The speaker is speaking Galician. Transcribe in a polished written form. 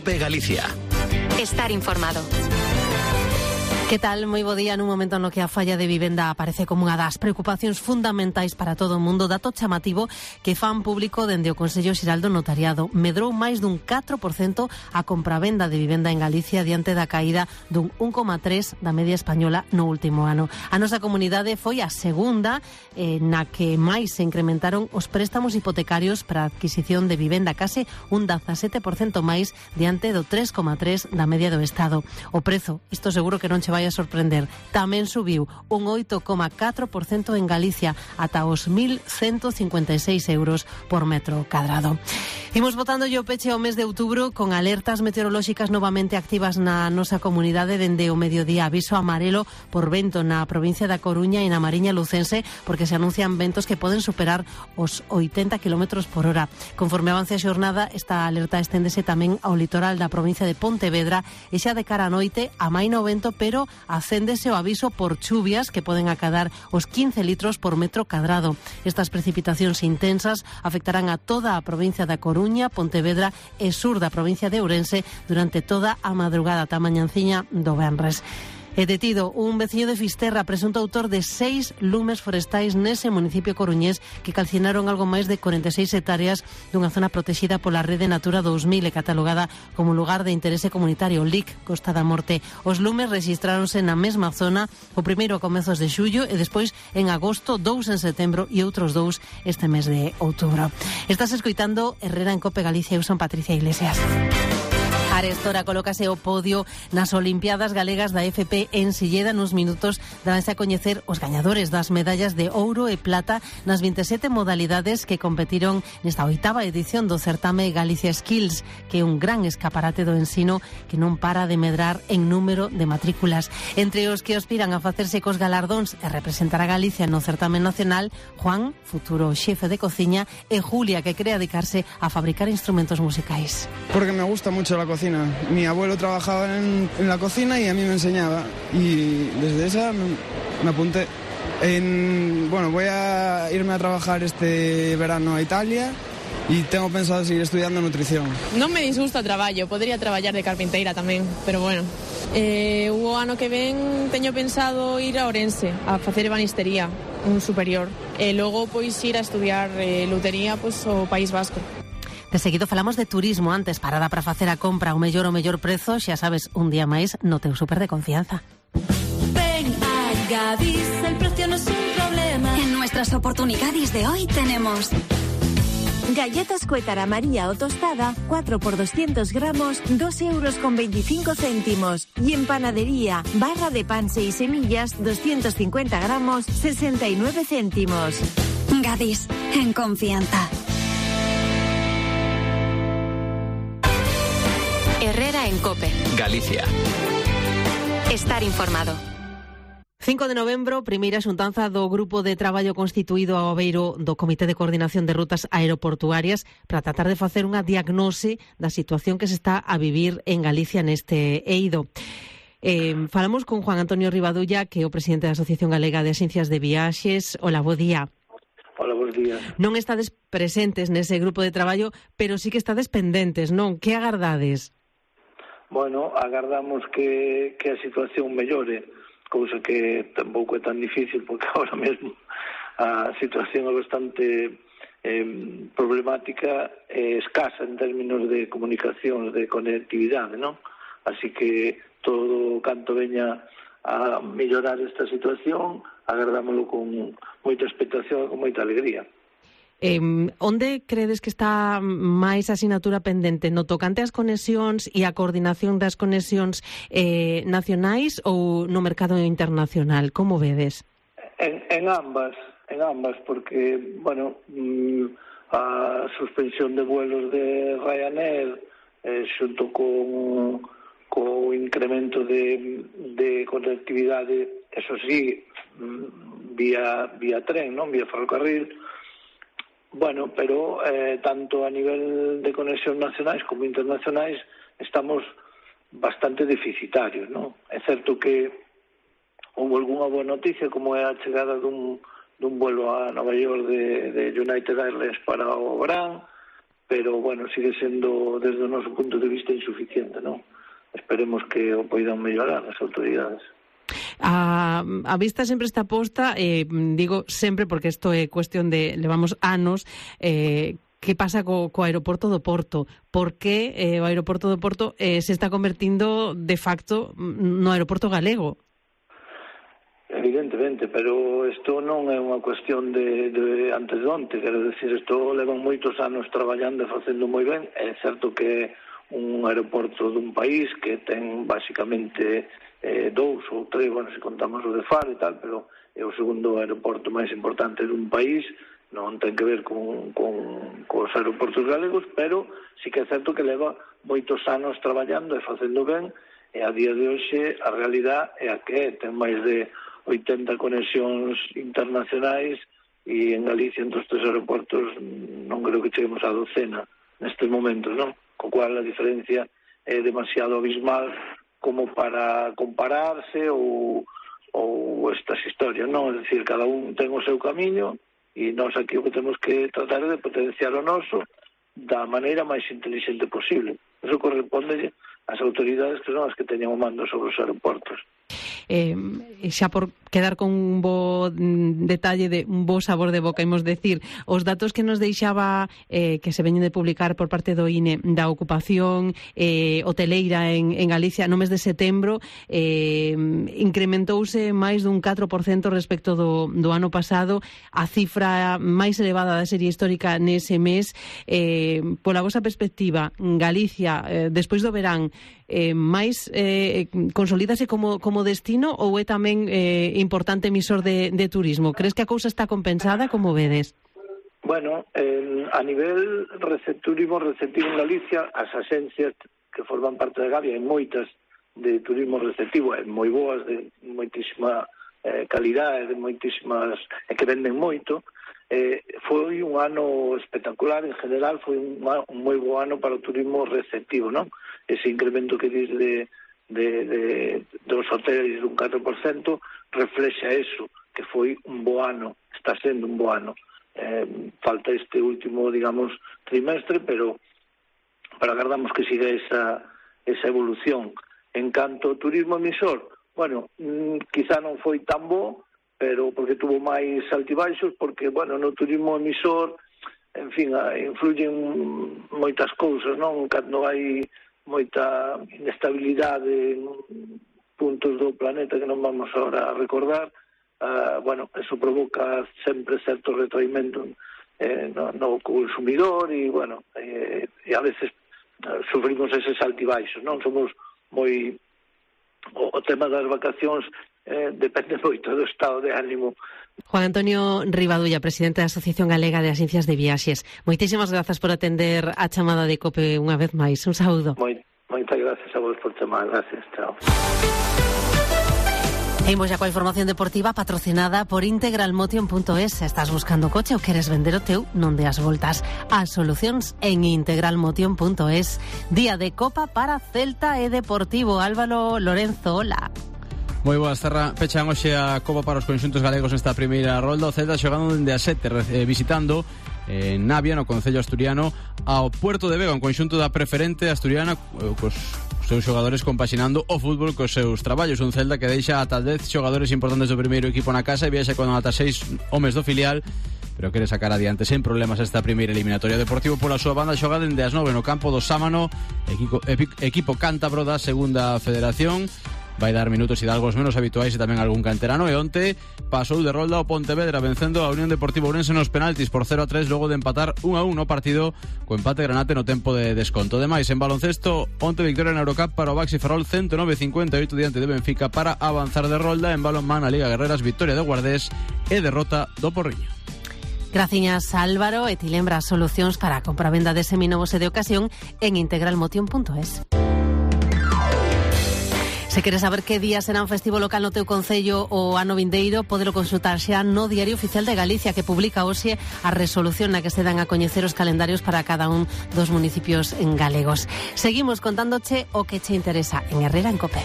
COPE Galicia. Estar informado. Que tal? Moi bo día. Nun momento no que a falla de vivenda aparece como unha das preocupacións fundamentais para todo o mundo, dato chamativo que fan público dende o Consello Xeral do Notariado. Medrou máis dun 4% a compravenda de vivenda en Galicia diante da caída dun 1,3% da media española no último ano. A nosa comunidade foi a segunda na que máis se incrementaron os préstamos hipotecarios para a adquisición de vivenda, case un 17% máis diante do 3,3% da media do Estado. O prezo, isto seguro que non che vai a sorprender, tamén subiu un 8,4% en Galicia ata os 1.156 euros por metro cadrado. Imos botando o peche ao mes de outubro con alertas meteorolóxicas novamente activas na nosa comunidade dende o mediodía. Aviso amarelo por vento na provincia da Coruña e na Mariña Lucense porque se anuncian ventos que poden superar os 80 km por hora. Conforme avance a xornada, esta alerta esténdese tamén ao litoral da provincia de Pontevedra e xa de cara a noite amaina o vento, pero acéndese o aviso por chuvias que poden acadar os 15 litros por metro cadrado. Estas precipitacións intensas afectarán a toda a provincia da Coruña, Pontevedra e sur da provincia de Ourense durante toda a madrugada ata mañanciña do venres. É detido un veciño de Fisterra, presunto autor de 6 lumes forestais nese municipio coruñés que calcinaron algo máis de 46 hectáreas dunha zona protexida pola Rede Natura 2000 e catalogada como lugar de interese comunitario, LIC, Costa da Morte. Os lumes rexistráronse na mesma zona, o primeiro a comezos de xullo e despois en agosto, 2 en setembro e outros 2 este mes de outubro. Estás escoitando Herrera en COPE Galicia. Eu son Patricia Iglesias. Arestora colócase o podio nas Olimpiadas Galegas da FP en Silleda. Nuns minutos daránse a coñecer os gañadores das medallas de ouro e plata nas 27 modalidades que competiron nesta 8ª edición do certame Galicia Skills, que é un gran escaparate do ensino que non para de medrar en número de matrículas. Entre os que aspiran a facerse cos galardóns e representar a Galicia no certame nacional, Juan, futuro xefe de cociña, e Julia, que quere dedicarse a fabricar instrumentos musicais. Porque me gusta mucho la cocina. Mi abuelo trabajaba en la cocina y a mí me enseñaba. Y desde esa me apunté. Bueno, voy a irme a trabajar este verano a Italia y tengo pensado seguir estudiando nutrición. Non me disgusta o traballo, podería traballar de carpinteira tamén, pero bueno. O ano que ven teño pensado ir a Ourense a facer ebanistería, un superior. E logo pois ir a estudiar lutería pois ao País Vasco. De seguido falamos de turismo. Antes, parada para facer a compra ao mellor prezo, xa sabes, un día máis no teu súper de confianza. Ven a Gadis, el precio no es un problema. En nuestras oportunidades de hoy tenemos galletas Cuétara María o tostada, 4 por 200 gramos, 2,25 euros. Y en panadería, barra de pan 6 semillas, 250 gramos, 69 céntimos. Gadis, en confianza. Herrera en COPE Galicia. Estar informado. 5 de novembro, primeira xuntanza do Grupo de Traballo constituído ao beiro do Comité de Coordinación de Rutas Aeroportuarias para tratar de facer unha diagnose da situación que se está a vivir en Galicia neste eido. Falamos con Juan Antonio Rivadulla, que é o presidente da Asociación Galega de Axencias de Viaxes. Hola, bo día. Hola, bons días. Non estades presentes nese grupo de traballo, pero sí que estades pendentes, non? Que agardades? Bueno, agardamos que a situación mellore, cousa que tampouco é tan difícil porque ahora mesmo a situación é bastante problemática e escasa en términos de comunicación, de conectividade, non? Así que todo canto veña a mellorar esta situación, agardámoslo con moita expectación e con moita alegría. Onde credes que está máis asignatura pendente? No tocante ás conexións e a coordinación das conexións nacionais ou no mercado internacional? Como vedes? En ambas, porque, bueno, a suspensión de vuelos de Ryanair xunto con o incremento de conectividade, eso sí, vía tren, non vía ferrocarril. Bueno, pero tanto a nivel de conexión nacionais como internacionais estamos bastante deficitarios, non? É certo que houve algunha boa noticia, como é a chegada dun vuelo a Nova York de United Airlines para o verán, pero, bueno, sigue sendo, desde o noso punto de vista, insuficiente, non? Esperemos que o poidan mellorar as autoridades. A vista sempre está posta, digo sempre porque isto é cuestión de, levamos anos, que pasa co aeroporto do Porto? Por que o aeroporto do Porto se está convertindo de facto no aeroporto galego? Evidentemente, pero isto non é unha cuestión de antes de onte, quero decir, isto levan moitos anos traballando e facendo moi ben. É certo que un aeroporto dun país que ten basicamente 2 ou 3, bueno, se contamos o de Faro e tal, pero é o segundo aeroporto máis importante dun país, non ten que ver con os aeroportos galegos, pero sí que é certo que leva moitos anos traballando e facendo ben, e a día de hoxe a realidade é a que ten máis de 80 conexións internacionais e en Galicia entre os 3 aeroportos non creo que cheguemos a 12 nestes momentos, non? Co cual a diferencia é demasiado abismal como para compararse ou estas historias, non? É dicir, cada un ten o seu camiño e nós aquí o que temos que tratar é de potenciar o noso da maneira máis inteligente posible. Eso corresponde ás autoridades que son as que teñan o mando sobre os aeroportos. Xa por quedar con un bo detalle, de un bo sabor de boca, imos decir, os datos que nos deixaba que se veñen de publicar por parte do INE da ocupación hoteleira en Galicia no mes de setembro, incrementouse máis dun 4% respecto do ano pasado, a cifra máis elevada da serie histórica nese mes. Pola vosa perspectiva, Galicia, despois do verán, máis consolídase como destino ou é tamén importante emisor de turismo? Crees que a cousa está compensada? Como vedes? Bueno, a nivel turismo receptivo en Galicia, as axencias que forman parte de Gavia, hai moitas de turismo receptivo, moi boas, de moitísima calidade, de moitísimas, que venden moito. Foi un ano espectacular, en general foi un moi bo ano para o turismo receptivo, non? Ese incremento que dis dos hoteles dun 4% reflexa eso, que foi un bo ano, está sendo un bo ano. Falta este último, digamos, trimestre, pero agardamos que siga esa evolución. En canto ao turismo emisor, bueno, quizá non foi tan bo, pero porque tuvo máis altibaixos, porque, bueno, no turismo emisor, en fin, influyen moitas cousas, non? Cando hai moita inestabilidade en puntos do planeta que non vamos ahora a recordar, bueno, eso provoca sempre certo retraimento no consumidor e, bueno, e a veces sufrimos eses altibaixos, non? Somos moi... O tema das vacacións depende moito do estado de ánimo. Juan Antonio Rivadulla, presidente da Asociación Galega de Axencias de Viaxes. Moitísimas grazas por atender a chamada de COPE unha vez máis. Un saúdo. Moitas gracias a vos por chamar. Gracias, chao. Imos xa coa información deportiva patrocinada por integralmotion.es. Estás buscando coche ou queres vender o teu? Non deas voltas. As solucións en integralmotion.es. Día de Copa para Celta e Deportivo. Álvaro Lorenzo, hola. Moi boas, Terra. Pechan hoxe a Copa para os conxuntos galegos nesta primeira rolda. O Celta xogando dende a 7, visitando en Navia, no concello asturiano, ao Puerto de Vega, un conxunto da preferente asturiana cos seus xogadores compaxinando o fútbol cos seus traballos. Un Celta que deixa ata 10 xogadores importantes do primeiro equipo na casa e viaxa con ata 6 homes do filial, pero quere sacar adiante sen problemas esta primeira eliminatoria. Deportivo pola súa banda xoga dende as 9 no campo do Sámano, equipo cántabro da segunda federación. Vai dar minutos e algos menos habituais e tamén algún canterano. E onte pasou de rolda o Pontevedra vencendo a Unión Deportiva Ourense nos penaltis por 0-3 logo de empatar 1-1 no partido co empate granate no tempo de desconto. Demais, en baloncesto, onte victoria na Eurocup para o Baxi Ferrol 109-58 diante de Benfica para avanzar de rolda. En balonmán, a Liga Guerreras, victoria do Guardés e derrota do Porriño. Graciñas, Álvaro, e ti lembra solucións para a compra-venda de seminovos e de ocasión en integralmotion.es. Se queres saber que día será un festivo local no teu concello o ano vindeiro, podelo consultar xa no Diario Oficial de Galicia, que publica hoxe a resolución na que se dan a coñecer os calendarios para cada un dos municipios en galegos. Seguimos contándoche o que che interesa en Herrera en COPE.